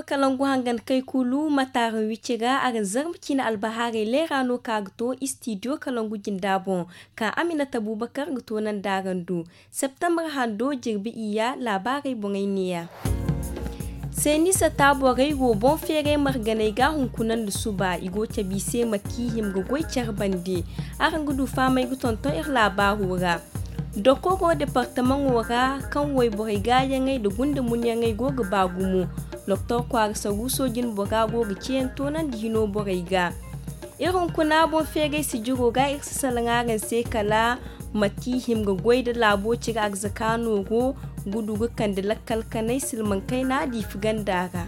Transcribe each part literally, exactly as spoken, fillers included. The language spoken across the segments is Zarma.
Kalangu hangan kay kulu mataara wicira a ga zarma cine albahaarey leera no ka ga to istidiyo kalangu jinda boŋ, ka aminata bubakar ga to nanda araŋ do. Septembre hando jirbi iyya laabaarey boŋey neeya. Seenisa taaborey wo boŋ feeray marganey ga hunkuna nda suba i go cabe i se mate kaŋ i hima ga goy care bande. Araŋ ga du fahamey ga tonton iri laabaaro ra. Dokoro departamaŋo ra kaŋ wayborey gaayaŋey nda gunda munyaŋey go ga ba gumo. Doktor kwaara saruuso jinbora go ga ceeyaŋ toonandi hino borey ga. Iri hunkuna boŋ feeray sijiro ga iri si salaŋ araŋ se kala mate kaŋ i hima ga goy nda laabo cire arzaka nooro gudu ga kande lakkal kanay silmaŋ kayna diifi ganda ra.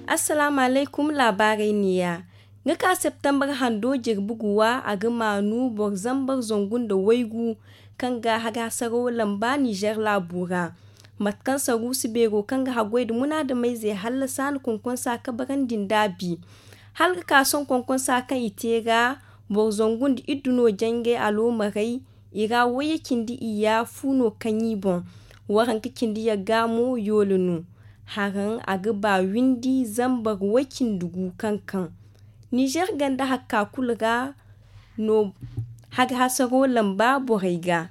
Assalaamu alaykum laabaarey neeya. Nga ka septembre hando jirbi guwa a ga maanu boro zambar zangu nda waygu kaŋ ga hari hasaraw lamba nizer laabo ra. Mate kaŋ saruusi beero kaŋ ga haggoy nda munaadameyze hallasa na konkonsa kabarandi nd'a bi. Hala ga ka sohõ konkonsa kaŋ i te ra boro zangu nda iddu no jangay aloomarey. I ra wayye cindi iyya fu no kaŋ i boŋ. Waranka cindi yagga mo yoole no. Haraŋ a ga ba windi zambar way cindi gu kaŋ kaŋ nizer ganda hakka kulu ra no. Hari hasaro lamba borey ga.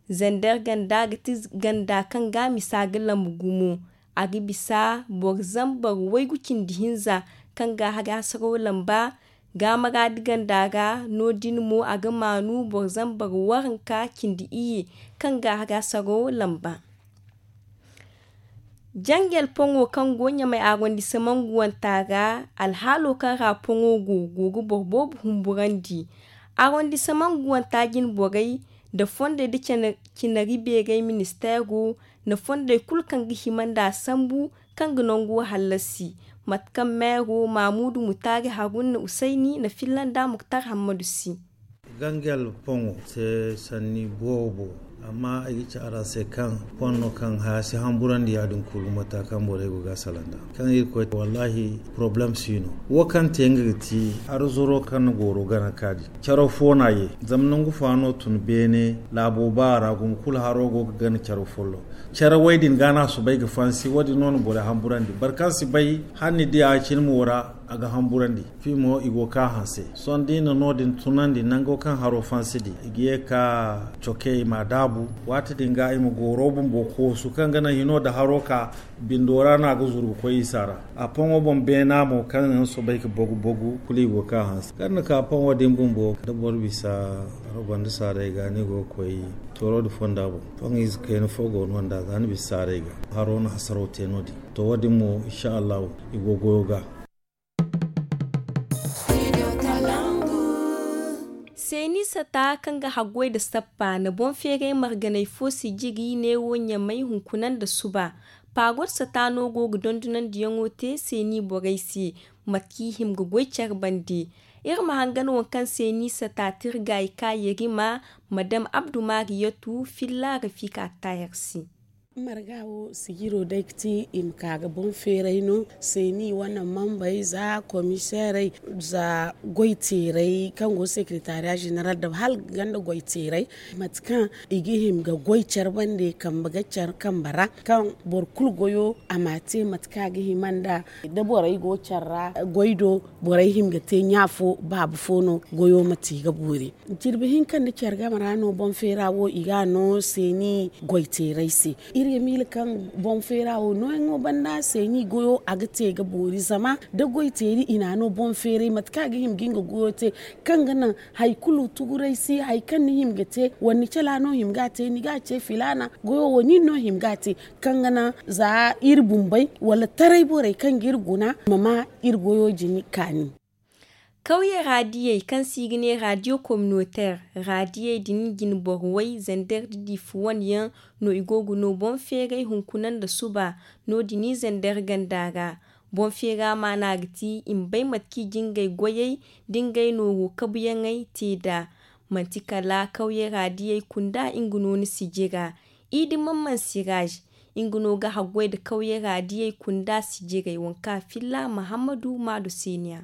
Zander ganda ga ti ganda kaŋ ga misa ga lambu gumo. A ga bisa boro zambar waygu cindi hinza kaŋ ga hari hasaro lamba. Ga maraadi ganda ra no- din mo a ga maanu boro zambar waranka cindi iyye kaŋ ga hari hasaro lamba. Jangel poŋo kaŋ go ɲamay arondisaman guwanta ra alhaalo kaŋ ra poŋo go go ga boro boobo humburandi. Arondisaman guwanta jinborey nda fondey nda cinari beerey ministeero nda fondey kulu kaŋ ga hima nd'a sambu kaŋ ga nango hallasi. Mate kaŋ meero maamuudu mutaari haruna usayni na filla nda muktar hammadu si. Gangel poŋo se sanni boobo. Amma ay ga ci araŋ se kaŋ poŋ no kaŋ haya si hamburandi ya- din kulu mata kaŋ borey go ga a salaŋ nd'a kaŋ irkoy wallaahi poroblem si no. Wo kaŋ te nga ga ti arzuro kaŋ na gooro gana kaadi. Caro fo no a ye zama nangu fa no tun beene laabo ba ra gumo kulu haro go ga gana caro follo. Care way din ga no a soobay ga fansi wo- din no na borey hamburandi boro kaŋ si bay hala ni di a cine mo ra. A ga hamburandi fi mo i go ga ka hanse sohõ da i na no- din tunandi nango kaŋ haro fansi di i ga ye ga ka coke i m'a daabu. Waati din ga i ma gooro bumbo koosu kaŋ ga naŋ hino nda haro ka bindo ra no a ga zuru ga koy isa ra. A poŋo boŋ beena mo kaŋ yaŋ soobay ga bogu bogu kulu i go ga ka hanse kaŋ ni ka poŋo din bumbo da boro bisa haro banda saaray ga ni go ga koy tooro nda fonda boŋ. Poŋ ize kayna fo go no nd'a za ni bisa saaray ga haro na hasaro te no- din. To wo- din mo insa allahu i go goyo ga. Seeni sata kaŋ ga haggoy nda sappa na boŋ feeray marganay fo sijiri neewo ɲamay hunkuna nda suba. Paagot sata no go ga dondonandiyaŋo te seeni borey se. Mate kaŋ i hima ga goy care bande. Iri ma hangan waŋ kaŋ seeni sata tirgaayi ka yerima madam abdu mariyatu filla rafika taayar se. Marga wo sijiro day ga ti i ma ka ga boŋ feeray no seeni wane mambey za komiseerey za goy teeray kaŋ go sekeretariya zeneral da hala ganda goy teeray mate kaŋ i ga hima ga goy care bande kambe ga care kambe ra kaŋ boro kulu goyo a ma te mate kaŋ a ga hima nda da borey go care ra goy do borey hima ga te ɲa fo baaba fo no goyo ma te ga boori. Jirbi hinka nda care game ra no boŋ feera wo i ga a no seeni goy teeray se. Iri ga miila kaŋ boŋ feera wo nooyaŋo banda seeni goyo a ga te ga boori zama da goy teeri i na a no boŋ feeray mate kaŋ a ga hima ga nga goyo te kaŋ ga naŋ hari kulu tuguray si hari kaŋ ni hima ga te wala ni cala no hima ga a te ni ga a ce filaana goyo wo nin no hima ga a te kaŋ ga naŋ za iri bumbey wala taray borey kaŋ ga iri guna ma ma iri goyo jini kaani. Kawye raadiyey kaŋ se i ga ne raadiyo kominoteer raadiyey din jine boro way zander da diifi wane yaŋ no i go ga no boŋ feeray hunkuna nda suba. No- din i zander ganda ra boŋ feera maana ga ti i ma bay mate kaŋ i jingay goyey da ngey nooro kabuyaŋey te nd'a. Manti kala kawye raadiyey kunda nga no ni sijira. Idi mamman siraaz nga no ga haggoy nda kawye raadiyey kunda sijirey waŋ kaŋ a filla mahammadu maadu seeniya.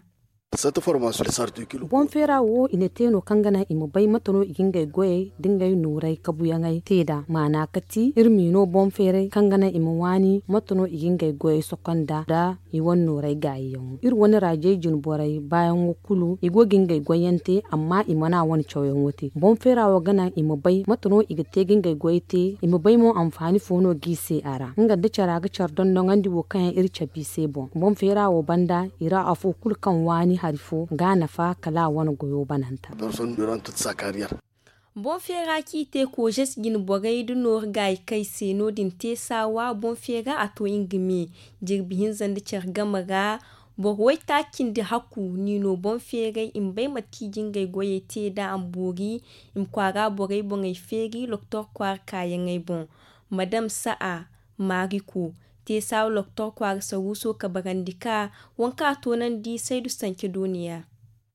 Boŋ feera wo i na te no kaŋ ga naŋ i ma bay mate no i ga ngey goyey nda ngey nooray kabuyaŋey te nd'a maana ka ti iri m'i no boŋ feeray kaŋ ga naŋ i ma waani mate no i ga ngey goyey sokonda nda i wane nooray gaayiyaŋo iri wane raajey jine borey baayaŋo kulu i go ga ngey goyyaŋ te amma i mana wane cawyaŋo te boŋ feera wo ga naŋ i ma bay mate no i ga te ga ngey goyey te i ma bay mo anfaani fo no g'i se a ra nga nda cara ga care dondoŋandi wo kaŋ yaŋ iri cabe i se boŋ boŋ feera wo banda i ra afo kulu kaŋ waani hari fo ga a nafa kala a wane goyo bananta. Boŋ feera kaŋ i te koozes jine borey nda nooru gaayi kay se no- din te saawa boŋ feera a to nga me jirbi hinza nda care game ra. Boro waytaaci nda hakku n'i no boŋ feeray i ma bay mate kaŋ i ga ngey goyey te nd'a a ma boori i ma kwaara borey boŋey feeri loktor kwaara kaayaŋey boŋ. Madam sa'a maariko te saawa loktor kwaara saruuso kabarandi ka waŋ kaŋ a toonandi saydu sance dooniya.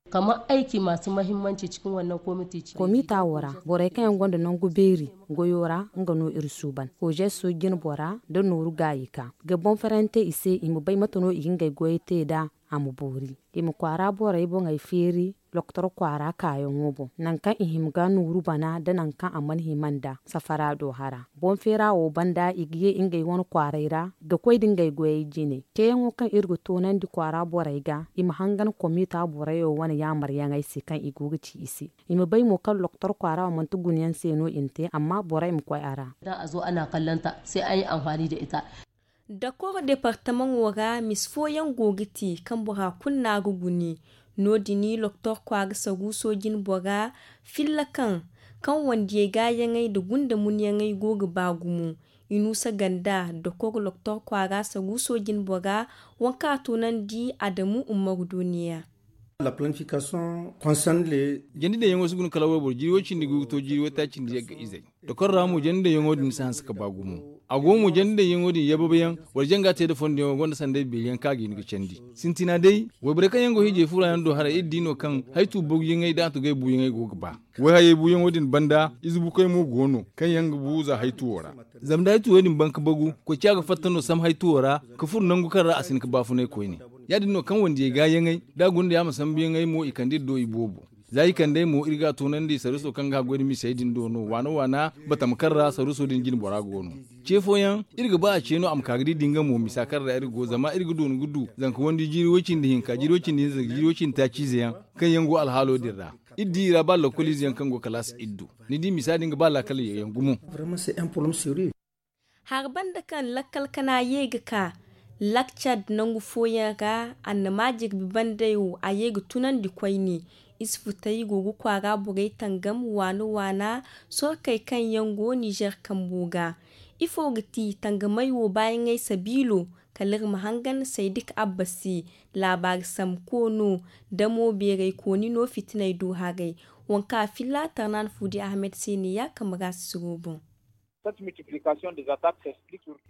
Kamar aiki masu mahimmanci cikin wannan komiti cikin komita wo ra borey kaŋ yaŋ gonda nangu beeri goyo ra nga no iri suuban kojeso jine bora nda nooru gaayi ka ga boŋ farante i se i ma bay mate no i ga ngey goyey te nd'a a ma boori i ma kwaara borey boŋey feeri loktor kwaara kaayaŋo boŋ nangu kaŋ i hima ga nooru bana nda nangu kaŋ a mana hima nd'a safara do hara boŋ feera wo banda i ga ye ngey wane kwaaray ra ga koy nda ngey goyey jine ceeyaŋo kaŋ iri ga toonandi kwaara borey ga i ma hangan komita borey wo wane yaamaryaŋey se kaŋ i go ga ci i se i ma bay mo kaŋ loktor kwaara wo manti guna yaŋ se no i na te amma borey ma koy a ra. Dakoro departamaŋo ra misa fooyaŋ go ga te kaŋ bora kulu no a ga guni no- din loktor kwaara saruuso jine bora filla kaŋ kaŋ wandiyey gaayaŋey nda gunda munyaŋey go ga ba gumo. Inuusa ganda dokor loktor kwaara saruuso jine bora waŋ kaŋ a toonandi adamu ummaru dooniya. Jandi daŋ yaŋo si guna kala wayboro jiiri way cindi go ga to jiiri waytaaci nda yagga izey dokor ra mo jandi daŋ yaŋo din si hanse ka ba gumo. A go mo jandi daŋ yaŋo din yababayaŋ wala janga te nda fondo yaŋo gonda sanday beeri yaŋ kaŋ a ga hin ga candi. Sintina day wayborey kaŋ yaŋ go hiijay fura yaŋ do haray iri di no kaŋ haytu bogu yaŋey da a tugay bu yaŋey go ga ba. Wayhayey buuyaŋo din banda ize bukoy mo go no kaŋ yaŋ ga bu za haytuwo ra. Zama da haytuwo din ban ka bagu koy ciya ga fatta no sam haytuwo ra ka furo nangu kaŋ ra a si hin ka baafunay koyne. Ya- din no kaŋ wandiyey gaayaŋey da a guna da yaama sambuyaŋey mo i kande iri do i boobo. Za i kand'ey mo iri ga a toonandi saruuso kaŋ ga haggoy nda misey din do no waana waana batama kaŋ ra saruuso din jine bora go no. Ce fooyaŋ iri ga ba a ce no a ma ka ga di da nga mo misa kaŋ ra iri go zama iri ga doonu ga du zanka wandi jiiri way- cindi hinka jiiri way- cindi hinza zanka jiiri way- cindi taaci ize yaŋ kaŋ yaŋ go alhaalo din ra. Iri di i ra ba lakkol ize yaŋ kaŋ go kalaasi iri du. Ni di misa din ga ba laakal yaŋ gumo. Hari banda kaŋ lakkal kana ye ga ka lakcad nangu fooyaŋ ra annama jirbi bandey wo a ye ga tunandi koyne. Isfutey go ga kwaara borey tangam waana waana sorkey kaŋ yaŋ go nizer kambo ga. Ifo ga ti tangamey wo baayaŋey sabiilo kala iri ma hangan saydik abba se. Laabaari sambu koono damo beeray kooni no fitiney do haray. Waŋ kaŋ a filla tarnaan fuudi ahmed se ne ya kamara sisiro boŋ.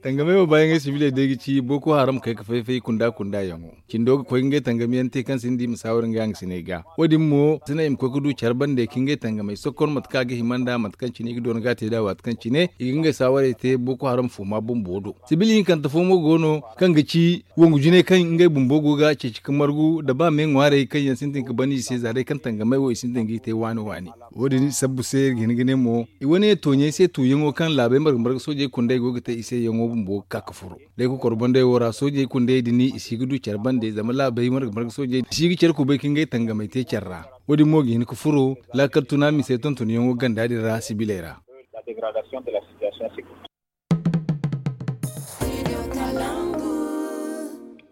Tangamey wo baayaŋey sibiley day ga ci boko haram kay ga fay-fay kunda-kunda yaŋo. Cindo ga koy ga ngey tangamiyaŋ te kaŋ sinda i ma saawar ngey hangasiney ga. Wo- din mo sinda i ma koy ga du care bande ka ngey tangamey sokkor mate kaŋ a ga hima nda mate kaŋ cine i ga doona ga a te nd'a waati kaŋ cine i ga ngey saawarey te boko haram fooma bumbo do. Sibil hinkante fo mo go no kaŋ ga ci wangu jinay kaŋ ngey bumbo go ga ceeci ka margu nda ba me ŋwaarey kaŋ yaŋ sintin ka ban i se za day kaŋ tangamey wo i sintin g'i te waani waani. Wo- din sabbu se iri ga hin ga ne mo i wane tooɲey se tuuyaŋo kaŋ laabey marga marga soojey kundey go ga te i se yaŋo bumbo ga ka ga furo. Day kokoro bandey wo ra soojey kundey din i si ga du care bande zama laabey marga marga soojey i si ga care kubay ka ngey tangamey te care ra. Wo- din mo ga hin ga furo laakal tuna misey tontonyaŋo ganda din ra sibiley ra.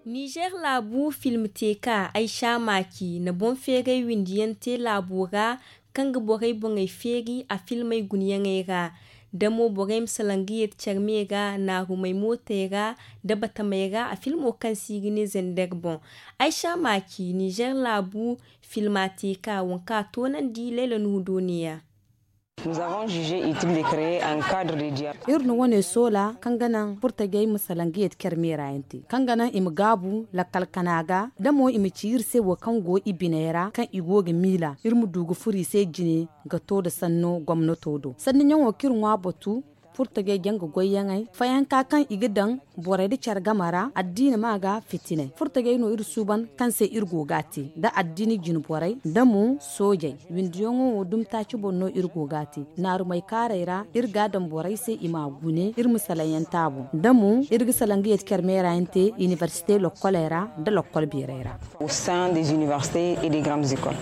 Nizer laabu filmteeka aysa maaki na boŋ feeray windiyaŋ te laabo ra kaŋ ga borey boŋey feeri a filmey gunayaŋey ra. Da mo borey ma salaŋ ga yeeti care me ra naarumey mootey ra nda batamey ra a filmo kaŋ se i ga ne zender boŋ. Aysa maaki nizer laabu filmateeka waŋ kaŋ a toonandi layla nuhu dooniya. Iri na wane soola kaŋ ga naŋ furtajey ma salaŋ ga yeeti care meera yaŋ te kaŋ ga naŋ i ma gaabu lakkal kana ga da mo i ma ci iri se wo kaŋ go i biney ra kaŋ i go ga miila iri ma du ga furo i se jine ga to nda sanno gomnato do sanniyaŋo kaŋ iri ŋwa batu. Furtajey janga goyyaŋey fayanka kaŋ i ga daŋ borey nda care game ra addiina ma ga fitinay furtajey no iri suuban kaŋ se iri go ga a te nda addiina jine borey nda mo soojey. Windiyaŋo wo dumi taaci boŋ no iri go ga a te naarumey kaarey ra iri ga a daŋ borey se i ma a gune iri ma salaŋ yaŋ te a boŋ nda mo iri ga salaŋ ga yeeti care meera yaŋ te inibersite lokkoley ra nda lokkol beerey ra. Au sein des universités et des grandes écoles.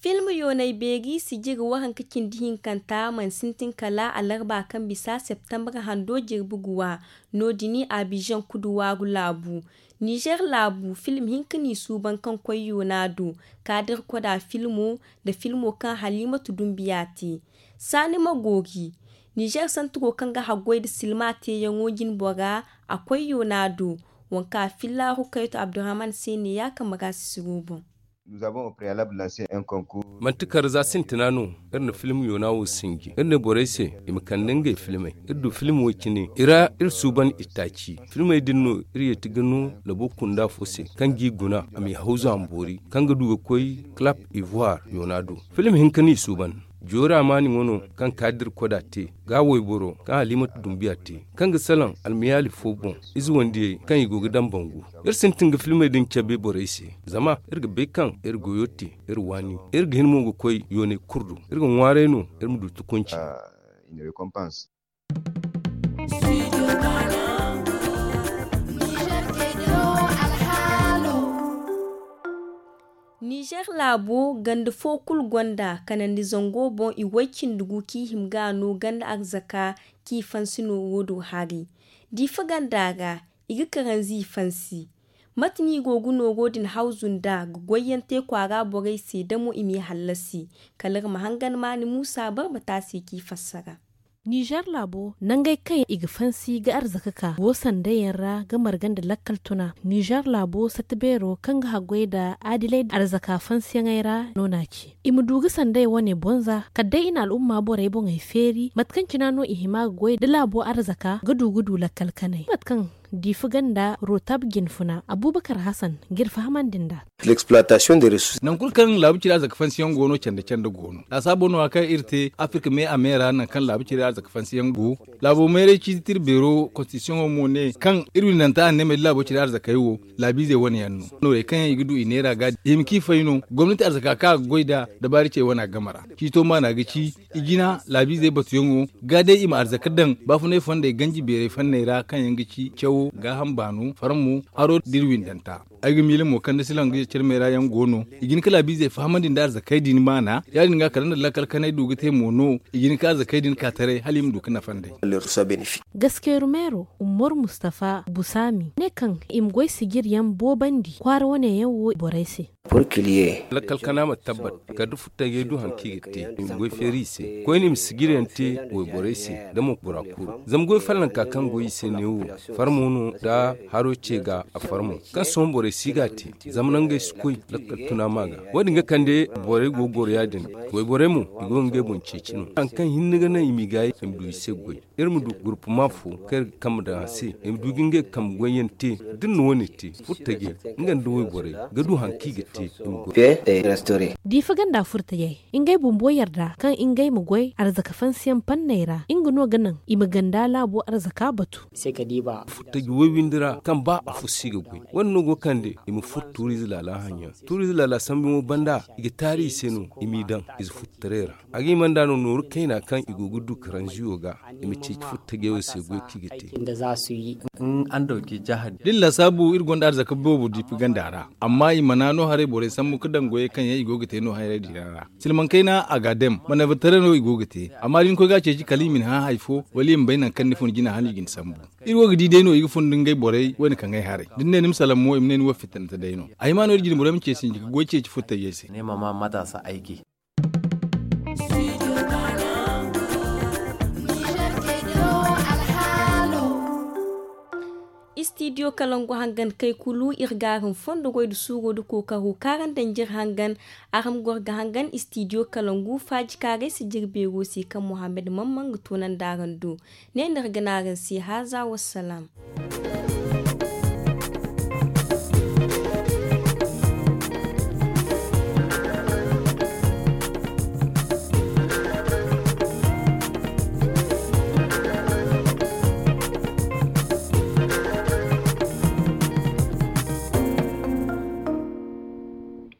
Film yoonay beeri sijiri waranka cindi hinkanta mana sintin kala alarba kaŋ bisa septembre hando jirbi guwa. No- din abijan kudu waaru laabu nizer laabu film hinka no i suuban kaŋ koy yoona do kaadir koda filmo nda filmo kaŋ halimatu dumbiya te. Saani ma goori nizer santiro kaŋ ga haggoy nda silma teeyaŋo jine bora a koy yoona do. Waŋ kaŋ a filla rukaytu abdurrahman se neeya kambe ra sisiro boŋ. Manti kar za sintina no iri na film yoona wo sinji iri ne borey se i ma kande ngey filmey. Iri du film wo cine i ra iri suuban i taaci filmey din no iri yeeti ga no labo kunda fo se kaŋ g'i guna a m'i hawzu a ma boori kaŋ ga du ga koy clap ivoire yoona do. Film hinka no i suuban joori amaani ŋwa no kaŋ kaadir koda te ga wayboro kaŋ halimatu dumbiya te kaŋ ga salaŋ almiyaali fo boŋ ize wandiyey kaŋ i go ga daŋ bangu. Iri sintin ga filmey din cabe borey se zama iri ga bay kaŋ iri goyo te iri waani iri ga hin mo ga koy yooney kulu do. Iri ga ŋwaaray no iri ma du tukunci. Nizer laabo ganda fo kulu gonda kanandi zango boŋ i way cindi gu kaŋ i hima ga a no ganda arzaka kaŋ i fansi no wo- do hari. Diifa ganda ra i ga karanzi i fansi. Mate no i go ga nooro din hawzu nd'a ga goyyaŋ te kwaara borey se da mo i m'i hallasi. Kala iri ma hangan maani muusa barbata se kaŋ i fassara. Nizer laabo nangey kaŋ i ga fansi ga arzaka ka go sanday yaŋ ra ga marga nda lakkal tuna nizer laabo sata beero kaŋ ga haggoy nda adilay arzaka fansiyaŋey ra no n'a ci. I ma du ga sanday wane boŋ za kala day i na al'umma borey boŋey feeri mate kaŋ cina no i hima ga goy nda laabo arzaka ga du ga du lakkal kanay mate kaŋ diifa ganda rotab jinfuna abuubakar hasan ga iri fahamandi nd'a. Nangu kulu kaŋ laabu ciri arzaka fansiyaŋ go no canda canda go no laasaabo no- ya kaŋ iri te afirka me a me ra nangu kaŋ laabu ciri arzaka fansiyaŋ go. Laabo mayray ciiti tira beero konstitisiyoŋo mo ne kaŋ iri windanta anneemey da laabo ciri arzakey wo laabiizey wane yaŋ no. Noorey kaŋ yaŋ i ga du i neera ga i hima kaŋ i fay no gomnati arzaka kaŋ a ga goy nd'a dabaari cey wane a game ra ciito maana ga ci i jina laabiizey batuyaŋo ga day i ma arzaka daŋ baafunay fondey ganji beeray fanney ra kaŋ yaŋ ga ci cawo gaaham baano farmo haro da iri windanta. Ay ga miila mo kaŋ da silaŋ ga yaccarmey ra yaŋ go no i ga hin ka laabiizey fahamandi nda arzakey din maana ya- din ga kala nda lakkal kanay du ga te mo no i ga hin ka arzakey din ka taray hala i ma du ga nafa nd'ey. Gaskeeru meero umaru mustafa busaami ne kaŋ i ma goy sijir yaŋ boobandi kwaara wane yaŋ wo borey se. Lakkal kana ma tabbat kala da furtajey du hari kaŋ i ga te i ma goy feeri i se koyne i ma sijir yaŋ te wayborey se da mo bora kulu zama goy fallanka kaŋ goy i se neewo farmo no da haro ce ga a farmo kaŋ sohõ borey si ga a te zama nangey si koy lakkal tuna ma ga wo- din ga kande borey go ga goro ya- din. Wayborey mo i go ga ngey boŋ ceeci no hari kaŋ hinne ga naŋ i m'i gaayi i ma du i se goy iri ma du gurpuma fo kaŋ iri ga kambe daŋ a se i ma du ga ngey kambe goyyaŋ te da iri na wo- ne te furtajey nga nda wayborey ga du hari kaŋ i ga te i ma goy. Diifa ganda furtajey ngey bumbo yarda kaŋ ngey ma goy arzaka fansiyaŋ panney ra nga no ga naŋ i ma ganda laabo arzaka batu. Furtaji way windi ra kaŋ ba afo si ga goy wane no go kande i ma furo tuuriize laala haŋyaŋ tuuriize laala sambu yaŋo banda i ga taari i se no i m'i daŋ ize furtaray ra. A ga hima nd'a no nooru kayna kaŋ i go ga du karanziyo ga i ma ceeci furtajey wo se goy kaŋ i ga te. Da iri laasaabu iri gonda arzaka boobo diipi ganda ra amma i mana no haray borey sambu ga daŋ goyey kaŋ yaŋ i go ga te no haray din ra. Silmaŋ kayna a ga a daŋ manayba taray no i go ga te amma da ni koy ga a ceeci kala i ma ni hã hari fo wala i ma bay nangu kaŋ ni fun jina hala i ga ni sambu. Iri wo ga di day no i ga fun nda ngey borey wane kaŋ ay haray da ni ne ni ma salaŋ mo i ma ne ni wo fitinante day no a hima no iri jine borey ma ce sinji ga goy ceeci furtajey se. Istidiyo kalangu hangan kay kulu iri ga araŋ fondo goy nda suuro nda kookaro kaaraŋ danjir hangan. Araŋ goro ga hangan istidiyo kalangu faaji kaaray si jiri beero se kaŋ muhammad mamman ga toonandi araŋ do. Ne no iri ga ne araŋ se haaza wassalaam.